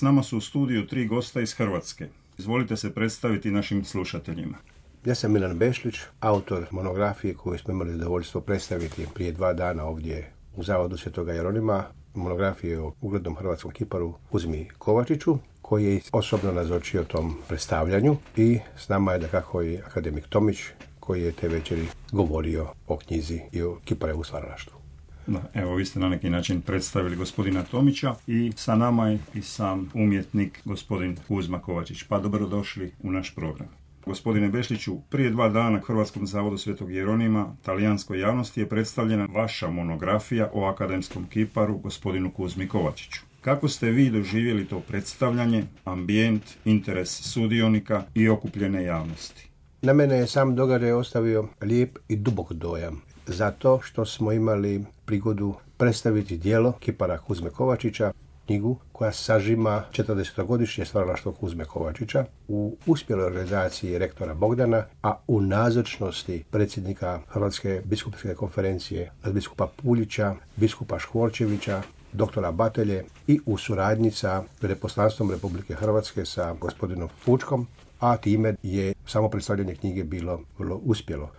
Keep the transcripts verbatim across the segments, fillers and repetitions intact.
S nama su u studiju tri gosta iz Hrvatske. Izvolite se predstaviti našim slušateljima. Ja sam Milan Bešlić, autor monografije koju smo imali zadovoljstvo predstaviti prije dva dana ovdje u Zavodu Svetoga Jeronima. Monografije o uglednom hrvatskom kiparu Kuzmi Kovačiću, koji je osobno nazočio tom predstavljanju, i s nama je dakako i akademik Tomić, koji je te večeri govorio o knjizi i o kiparevu stvaralaštvu. Da, evo, vi ste na neki način predstavili gospodina Tomića i sa nama je i sam umjetnik gospodin Kuzma Kovačić. Pa dobrodošli u naš program. Gospodine Bešliću, prije dva dana u Hrvatskom zavodu Svetog Jeronima talijanskoj javnosti je predstavljena vaša monografija o akademskom kiparu gospodinu Kuzmi Kovačiću. Kako ste vi doživjeli to predstavljanje, ambijent, interes sudionika i okupljene javnosti? Na mene je sam događaj ostavio lijep i dubok dojam, zato što smo imali prigodu predstaviti djelo kipara Kuzme Kovačića, knjigu koja sažima četrdesetogodišnje stvaralaštvo Kuzme Kovačića u uspjeloj organizaciji rektora Bogdana, a u nazočnosti predsjednika Hrvatske biskupske konferencije, biskupa Puljića, biskupa Škvorčevića, doktora Batelje, i u suradnji sa veleposlanstvom Republike Hrvatske sa gospodinom Fučkom, a time je samo predstavljanje knjige bilo vrlo uspjelo.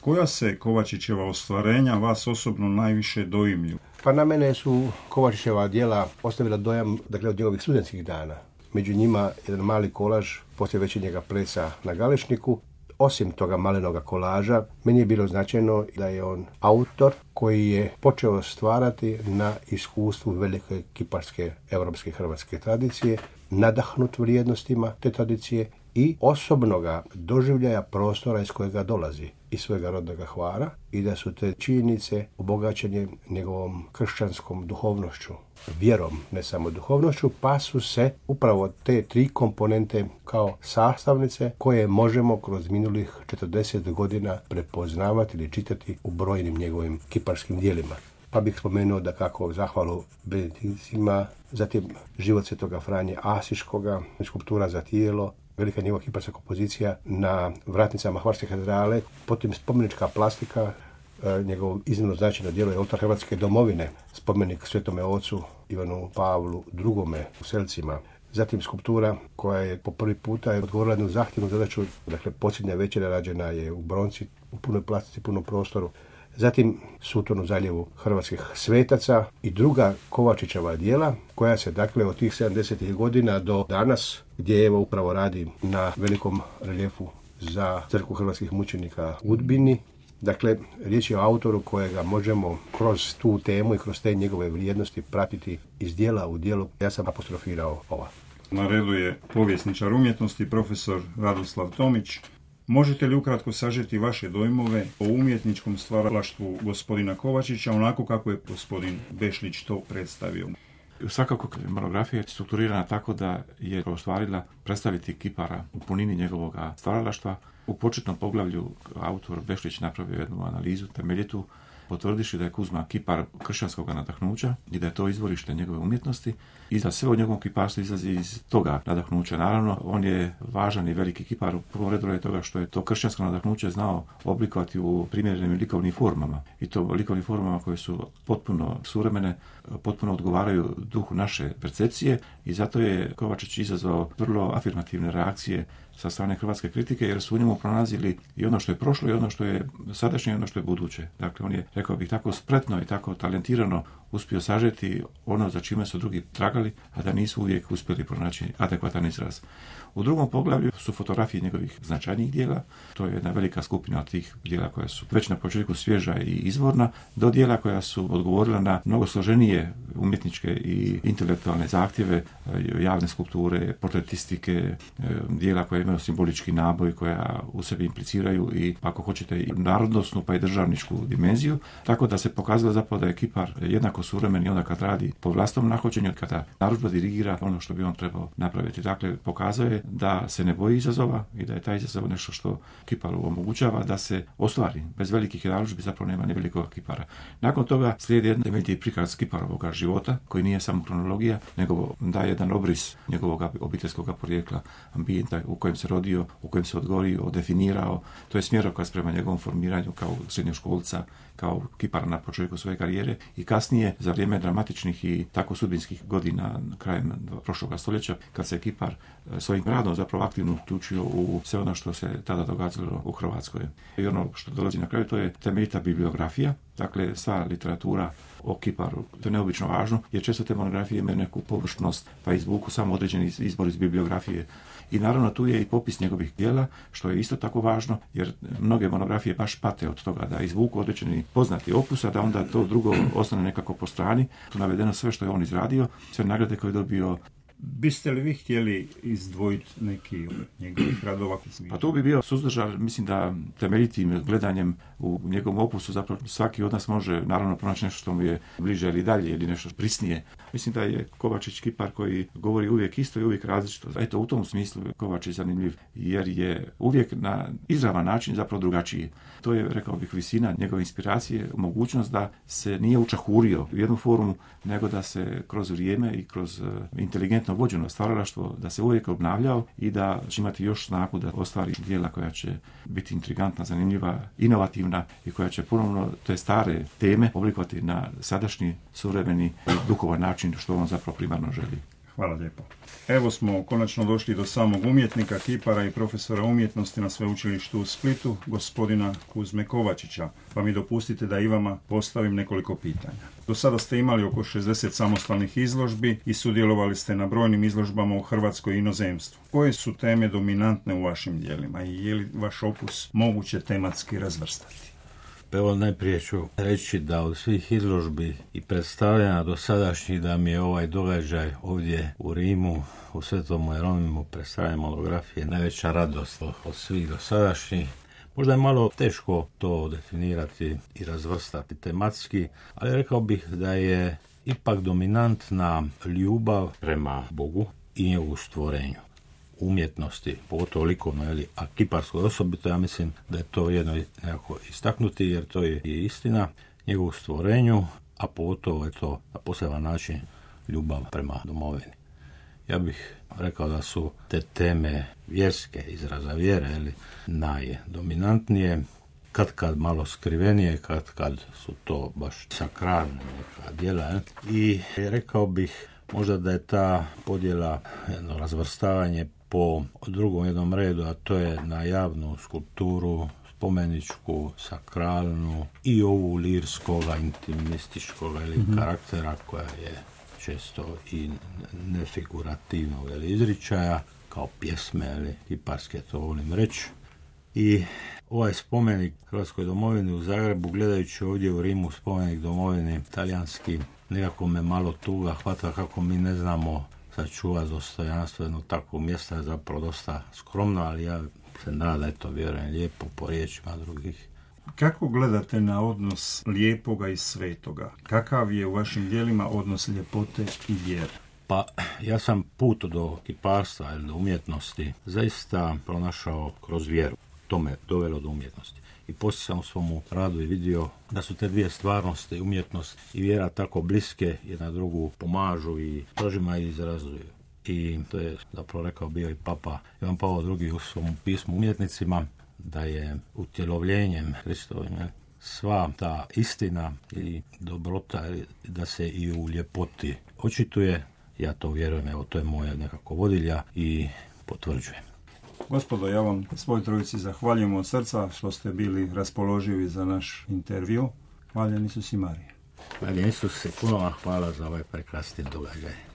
Koja se Kovačićeva ostvarenja vas osobno najviše doimlju? Pa na mene su Kovačićeva djela ostavila dojam, dakle, od njegovih studentskih dana. Među njima jedan mali kolaž poslije večernjega plesa na Galešniku. Osim toga malenoga kolaža, meni je bilo značajno da je on autor koji je počeo stvarati na iskustvu velike kiparske europske hrvatske tradicije, nadahnut vrijednostima te tradicije i osobnoga doživljaja prostora iz kojega dolazi, iz svojega rodnoga Hvara, i da su te činjenice obogaćene njegovom kršćanskom duhovnošću, vjerom, ne samo duhovnošću, pa su se upravo te tri komponente kao sastavnice koje možemo kroz minulih četrdeset godina prepoznavati ili čitati u brojnim njegovim kiparskim djelima. Pa bih spomenuo da kako zahvalu Benedikticima, zatim život svetoga Franje Asiškoga, skulptura za tijelo, velika njegova kiparska kompozicija na vratnicama Hvarske katedrale, potom spomenička plastika, njegovo iznimno značajno djelo je oltar Hrvatske domovine, spomenik Svetome ocu Ivanu Pavlu drugome u Selcima. Zatim skulptura koja je po prvi puta je odgovorila jednu zahtjevnu zadaću, dakle posljednja večera rađena je u bronci, u punoj plastici, punom prostoru. Zatim Suton u zaljevu hrvatskih svetaca i druga Kovačićeva djela koja se dakle od tih sedamdesetih godina do danas, gdje evo upravo radi na velikom reljefu za crkvu hrvatskih mučenika u Udbini. Dakle, riječ je o autoru kojega možemo kroz tu temu i kroz te njegove vrijednosti pratiti iz djela u djelu. Ja sam apostrofirao ova. Na redu je povjesničar umjetnosti, profesor Radoslav Tomić. Možete li ukratko sažeti vaše dojmove o umjetničkom stvaralaštvu gospodina Kovačića, onako kako je gospodin Bešlić to predstavio? Svakako monografija je strukturirana tako da je ostvarila predstaviti kipara u punini njegovog stvaralaštva. U početnom poglavlju autor Bešlić napravio jednu analizu temeljitu, potvrdiši da je Kuzma kipar kršćanskog nadahnuća i da je to izvorište njegove umjetnosti i da sve od njegovom kiparstvu izlazi iz toga nadahnuća. Naravno, on je važan i veliki kipar u prvom redu je toga što je to kršćansko nadahnuće znao oblikovati u primjerenim likovnim formama, i to likovnim formama koje su potpuno suvremene, potpuno odgovaraju duhu naše percepcije, i zato je Kovačić izazvao vrlo afirmativne reakcije sa strane hrvatske kritike, jer su u njemu pronalazili i ono što je prošlo i ono što je sadašnje i ono što je buduće. Dakle, on je, rekao bih, tako spretno i tako talentirano uspio sažeti ono za čime su drugi tragali, a da nisu uvijek uspjeli pronaći adekvatan izraz. U drugom poglavlju su fotografije njegovih značajnijih dijela. To je jedna velika skupina od tih dijela koja su već na početku svježa i izvorna, do dijela koja su odgovorila na mnogo složenije umjetničke i intelektualne zahtjeve, javne skulpture, portretistike, dijela koja imaju simbolički naboj, koja u sebi impliciraju i, ako hoćete, i narodnosnu pa i državničku dimenziju, tako da se pokazalo zapravo da je kipar jednako suvremen i onda kad radi po vlastnom nahođenju, kada narudžba dirigira ono što bi on trebao napraviti. Dakle, pokazao je da se ne boji izazova i da je taj izazov nešto što kiparu omogućava da se ostvari. Bez velikih narudžbi zapravo nema ni velikog kipara. Nakon toga slijedi jedan temeljiti prikaz kiparovog života, koji nije samo kronologija, nego daje jedan obris njegovog obiteljskog porijekla, ambijenta u kojem se rodio, u kojem se odgorio, definirao. To je smjerokaz prema njegovom formiranju kao srednjoškolca, kao kipara na početku svoje karijere i kasnije nije za vrijeme dramatičnih i tako sudbinskih godina krajem prošlog stoljeća, kad se Kipar svojim radom zapravo aktivno uključio u sve ono što se tada događalo u Hrvatskoj. I ono što dolazi na kraju, to je temeljita bibliografija, dakle sva literatura o Kiparu. To je neobično važno, jer često te monografije imaju neku površnost, pa izvuku samo određeni izbor iz bibliografije. I naravno tu je i popis njegovih djela, što je isto tako važno, jer mnoge monografije baš pate od toga da izvuku određeni poznati opus, a da onda to drugo ostane nekako po strani. Tu navedeno sve što je on izradio, sve nagrade koje je dobio. Biste li vi htjeli izdvojiti neki od njegovih radova? Pa to bi bio suzdržan, mislim da temeljitim gledanjem u njegovom opusu zapravo svaki od nas može naravno pronaći nešto što mu je bliže ili dalje ili nešto prisnije. Mislim da je Kovačić kipar koji govori uvijek isto i uvijek različito. Eto, u tom smislu Kovačić zanimljiv, jer je uvijek na izravan način zapravo drugačiji. To je, rekao bih, visina njegove inspiracije, mogućnost da se nije učahurio u jednu formu, nego da se kroz vrijeme i kroz inteligentno vođeno stvaralaštvo, da se uvijek obnavljao i da će imati još snagu da ostvari djela koja će biti intrigantna, zanimljiva, inovativna i koja će ponovno te stare teme oblikovati na sadašnji, suvremeni i duhovan način što on zapravo primarno želi. Hvala lijepo. Evo smo konačno došli do samog umjetnika, kipara i profesora umjetnosti na Sveučilištu u Splitu, gospodina Kuzme Kovačića, pa mi dopustite da i vama postavim nekoliko pitanja. Do sada ste imali oko šezdeset samostalnih izložbi i sudjelovali ste na brojnim izložbama u Hrvatskoj i inozemstvu. Koje su teme dominantne u vašim djelima i je li vaš opus moguće tematski razvrstati? Evo, najprije ću reći da od svih izložbi i predstavljanja do sadašnjih da mi je ovaj događaj ovdje u Rimu, u Svetom Jeronimu, predstavljanje monografije, najveća radost od svih do sadašnjih. Možda je malo teško to definirati i razvrstati tematski, ali rekao bih da je ipak dominantna ljubav prema Bogu i njegovu stvorenju. Umjetnosti, pogotovo likovno, ali a kiparskoj osobito, ja mislim da je to jedno nekako istaknuti, jer to je i istina, njegovu stvorenju, a pogotovo je to na poseban način ljubav prema domovini. Ja bih rekao da su te teme vjerske, izraza vjere, ili najdominantnije, kad kad malo skrivenije, kad kad su to baš sakralne neka djela. I rekao bih možda da je ta podjela, jedno razvrstavanje po drugom jednom redu, a to je na javnu skulpturu, spomeničku, sakralnu i ovu lirskoga, intimističkoga ili mm-hmm. karaktera koja je često i nefigurativnog ili izričaja, kao pjesme ili kiparske, to volim reći. I ovaj spomenik Hrvatskoj domovini u Zagrebu, gledajući ovdje u Rimu spomenik domovini talijanski, nekako me malo tuga hvata kako mi ne znamo sačuvati dostojanstvo jednog takvog mjesta, je zapravo dosta skromno, ali ja se nadam, eto, vjerujem lijepo po riječima drugih. Kako gledate na odnos lijepoga i svetoga? Kakav je u vašim djelima odnos ljepote i vjere? Pa ja sam put do kiparstva ili do umjetnosti zaista pronašao kroz vjeru. To me dovelo do umjetnosti. I poslije sam u svom radu i vidio da su te dvije stvarnosti, umjetnost i vjera, tako bliske, jedna drugu pomažu i prožima i izrazuju. I to je zapravo rekao bio i Papa Ivan Pavao drugi u svom pismu umjetnicima, da je utjelovljenjem Kristovim sva ta istina i dobrota, da se i u ljepoti očituje. Ja to vjerujem, evo, to je moja nekako vodilja i potvrđujem. Gospodo, ja vam svoj trojici zahvaljujem od srca što ste bili raspoloživi za naš intervju. Hvaljen Isus i Marija. Hvaljen Isus i puno vam hvala za ovaj prekrasni događaj.